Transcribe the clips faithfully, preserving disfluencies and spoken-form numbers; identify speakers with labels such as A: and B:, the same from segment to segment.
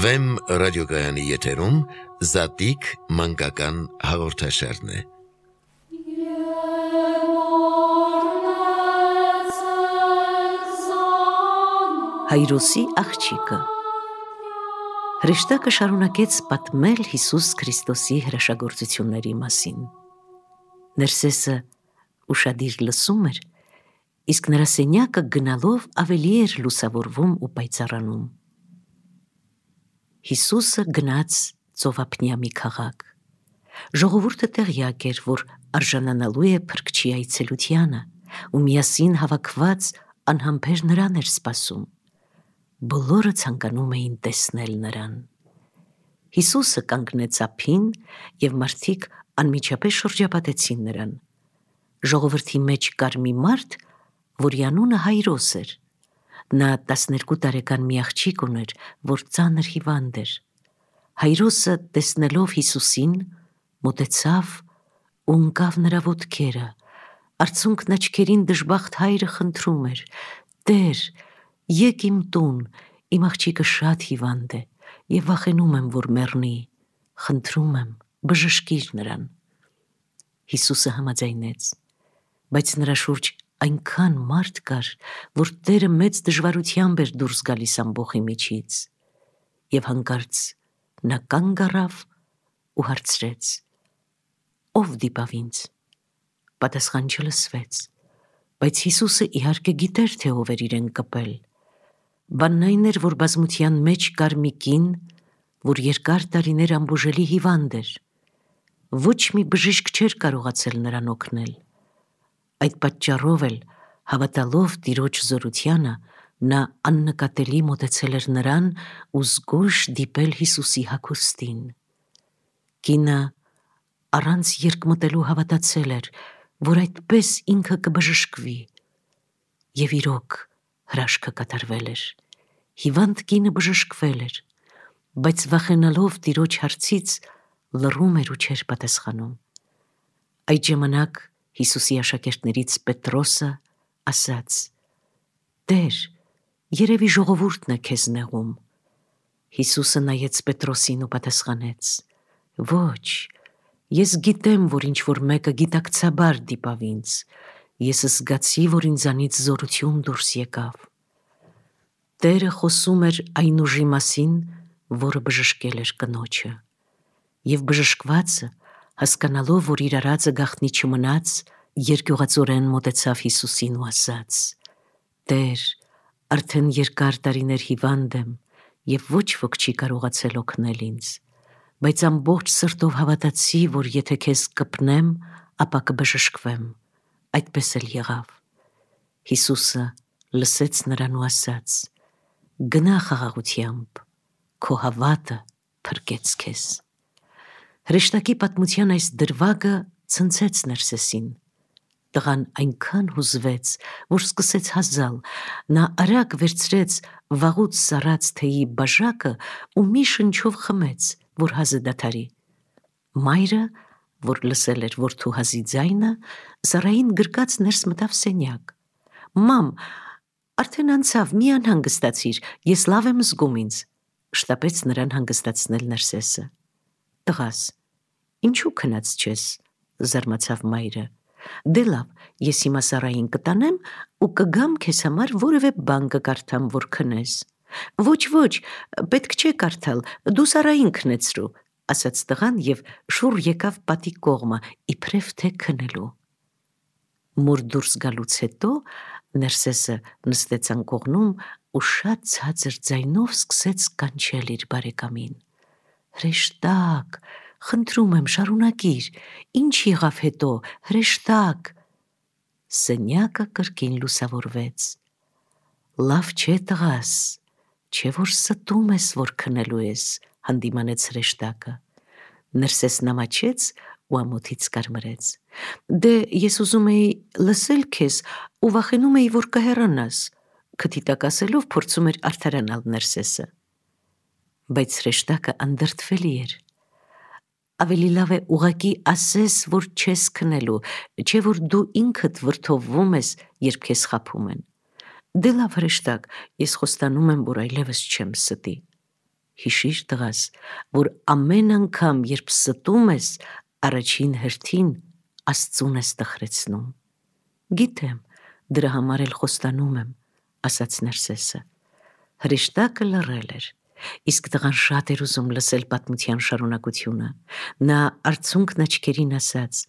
A: Վեմ ռադիոգայանի եթերում Զատիկ մանկական հաղորդաշարն է։
B: Հայրոսի աղջիկը Հրեշտակը շարունակեց պատմել Հիսուս Քրիստոսի հրաշագործությունների մասին։ Ներսեսը ուշադիր լսում էր, իսկ նրա սենյակը գնալով ավելի էր լուսավորվում ու պայծառանում։ Հիսուսը գնաց ծովափնյա մի քաղաք։ Ժողովուրդը տեղյակ էր, որ արժանանալու է Փրկչի այցելությանը, ու միասին հավաքված անհամբեր նրան էր սպասում։ Բոլորը ցանկանում էին տեսնել նրան։ Հիսուսը կանգնեց ափին, և մարդիկ անմիջապես շրջապատեցին նրան։ Ժողովրդի մեջ կար մի մարդ, որի անունը Հայրոս էր։ Նա տասներկու տարեկան մի աղջիկ ուներ, որ ծանր հիվանդ էր։ Հայրոսը, տեսնելով Հիսուսին, մոտեցավ ու ընկավ նրա ոտքերը, արցունքն աչքերին դժբախտ հայրը խնդրում էր. «Տեր, եկ իմ տուն, իմ աղջիկը շատ հիվանդ է, և վախենում եմ, որ մեռնի, խնդրում եմ, բժշկիր նրան»։ Հիսուսը համաձայնեց, բայց նրա շուրջ այնքան մարդ կար, որ Տերը մեծ դժվարությամբ էր դուրս գալիս ամբոխի միջից, և հանկարծ նա կանգ առավ ու հարցրեց. «Ո՞վ դիպավ ինձ»։ Պատասխան չլսվեց, բայց Հիսուսը իհարկե գիտեր, թե ով էր իրեն կպել։ Բանն այն էր, որ բազմության մեջ կար մի կին, որ երկար տարիներ անբուժելի հիվանդ էր։ Ոչ մի բժիշկ չէր կարողացել նրան օգնել։ Այդ պատճառով էլ, հավատալով Տիրոջ զորությանը, նա աննկատելի մոտեցել էր նրան ու զգույշ դիպել Հիսուսի հագուստին։ Կինը առանց երկմտելու հավատացել էր, որ այդպես ինքը կբժշկվի, և իրոք հրաշքը կատարվել էր։ Հիվանդ կինը բժշկվել էր, բայց վախենալով Տիրոջ հարցից լռում էր ու չէր պատասխանում։ Այդ ժամանակ Հիսուսի աշակերտներից Պետրոսը ասաց. «Տեր, երևի ժողովուրդն է քեզ նեղում»։ Հիսուսը նայեց Պետրոսին ու պատասխանեց. «Ոչ, ես գիտեմ, որ ինչ-որ մեկը գիտակցաբար դիպավ ինձ, ես զգացի, որ ինձանից զորություն դուրս եկավ»։ Տերը խոսում էր այն ուժի մասին, որը բժշկել էր կնոջը, և բժշկվածը, հասկանալով, որ իր արածը գաղտնի չմնաց, երկյուղածորեն մոտեցավ Հիսուսին ու ասաց. «Տեր, արդեն երկար տարիներ հիվանդ եմ, և ոչ ոք չի կարողացել օգնել ինձ, բայց ամբողջ սրտով հավատացի, որ եթե քեզ կպնեմ, ապա կբժշկվեմ»։ Այդպես էլ եղավ։ Հիսուսը լսեց նրան ու ասաց. «Գնա խաղաղությամբ, քո հավատը փրկեց քեզ»։ Հրեշտակի պատմության այս դրվագը ցնցեց Ներսեսին։ Տղան այնքան հուզվեց, որ սկսեց հազալ։ Նա արագ վերցրեց վաղուց սառած թեյի բաժակը ու մի շնչով խմեց, որ հազը դադարի։ Մայրը, որ լսել էր որդու հազի ձայնը, սառային գրկած ներս մտավ սենյակ. «Մամ, արդեն անցավ, մի անհանգստացիր, ես լավ եմ զգում ինձ», շտապեց նրան հանգստացնել Ներսեսը։ «Տղաս, ինչու քնած չես», զարմացավ մայրը։ «Դե լավ, ես հիմա սառային կտանեմ ու կգամ քեզ համար որևէ բան կկարդամ, որ քնես»։ «Ոչ, ոչ, պետք չէ կարդալ, դու սառային քնեցրու», ասաց տղան և շուռ եկավ պատի կողմը, իբրև թե քնելու։ Մոր դուրս գալուց հետո Ներսեսը նստեց անկողնում ու շատ ցածր ձայնով սկսեց կանչել իր բարեկամին. «Հրեշտակ, խնդրում եմ, շարունակիր, ինչ եղավ հետո, հրեշտակ»։ Սենյակը կրկին լուսավորվեց։ «Լավ չէ, տղաս, չէ որ ստում ես, որ քնելու ես», հանդիմանեց հրեշտակը։ Ներսեսն ամաչեց ու ամոթից կարմրեց։ «Դե ես ուզում էի լսել քեզ ու վախենում էի, որ կհեռանաս», քթի տակ ասելով փորձում էր արդարանալ Ներսեսը։ Բայց հրեշտակը անդրդվելի էր։ «Ավելի լավ է ուղղակի ասես, որ չես քնելու, չէ որ դու ինքդ վրդովվում ես, երբ քեզ խաբում են»։ «Դե լավ, հրեշտակ, ես խոստանում եմ, որ այլևս չեմ ստի»։ հիշիր տղաս, որ ամեն անգամ, երբ ստում ես, առաջին հերթին Աստծուն ես տխրեցնում։ Գիտեմ, դրա համար էլ խոստանում եմ, ասաց Ներսեսը։ Հրեշտակը լռել էր, իսկ տղան շատ էր ուզում լսել պատմության շարունակությունը։ Նա արցունքն աչքերին ասաց.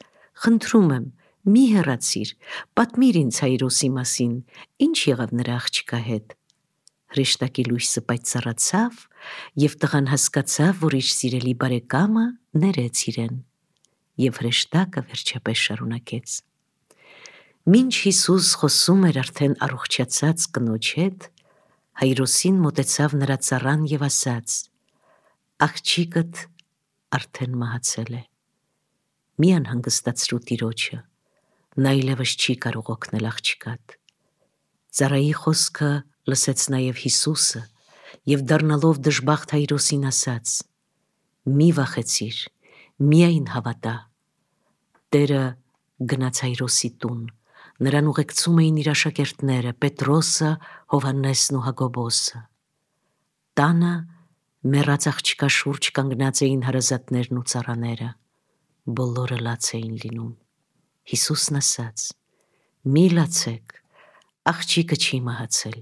B: «Խնդրում եմ, մի հեռացիր, պատմիր ինձ Հայրոսի մասին, ինչ եղավ նրա աղջկա հետ»։ Հրեշտակի լույսը պայծառացավ, և տղան հասկացավ, որ իր սիրելի բարեկամը ներեց իրեն։ Եվ հրեշտակը վերջապես շարունակեց. Մինչ Հիսուս խոսում էր արդեն առողջացած կնոջ հետ, Հայրոսին մոտեցավ նրա ծառան և ասաց. «Աղջիկդ արդեն մահացել է։ Մի անհանգստացրու տիրոջը, նա այլևս չի կարող օգնել աղջկադ»։ Ծառայի խոսքը լսեց նաև Հիսուսը և դառնալով դժբախտ Հայրոսին ասաց. «Մի վախեցիր, միայն հավատա»։ Տերը գնաց Հայրոսի տուն, նրան ուղեկցում էին իր աշակերտները Պետրոսը, Հովհաննեսն ու Հակոբոսը։ Տանը մեռած աղջկա շուրջ կանգնած էին հարազատներն ու ծառաները, բոլորը լաց էին լինում։ Հիսուսն ասաց. «Մի լացեք, աղջիկը չի մահացել,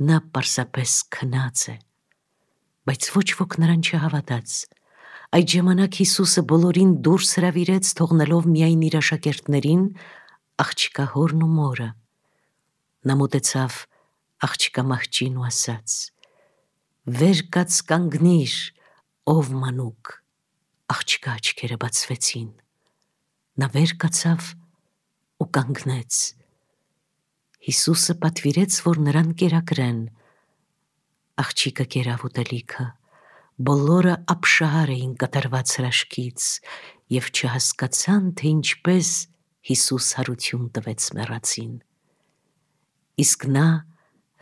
B: նա պարզապես քնած է»։ Բայց ոչ ոք նրան չհավատաց։ Այդ ժամանակ Հիսուսը բոլորին դուրս հրավիրեց, թողնելով միայն իր աշակերտներին, աղջկա հորն ու մորը։ Նա մոտեցավ աղջկա մահճին ու ասաց. «Վեր կաց կանգնիր, ով մանուկ»։ Աղջկա աչքերը բացվեցին։ Նա վեր կացավ ու կանգնեց։ Հիսուսը պատվիրեց, որ նրան կերակրեն։ Աղջիկը կերավ ուտելիքը։ Բոլորը ապշահար էին կատարված հրաշքից և չհասկացան, թե ինչպես Հիսուս հարություն տվեց մեռածին։ Իսկ նա,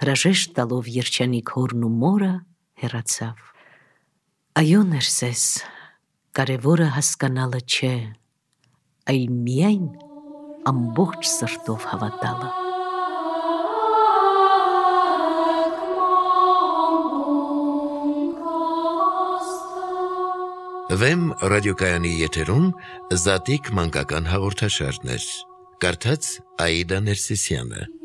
B: հրաժեշտ տալով երջանիկ հորն ու մորը, հեռացավ։ Այո, Ներսես, կարևորը հասկանալը չէ, այլ միայն ամբողջ սրտով հավատալը։
A: Վեմ ռադիոկայանի եթերում Զատիկ մանկական հաղորդաշարներ։ Կարդաց Աիդա Ներսիսյանը։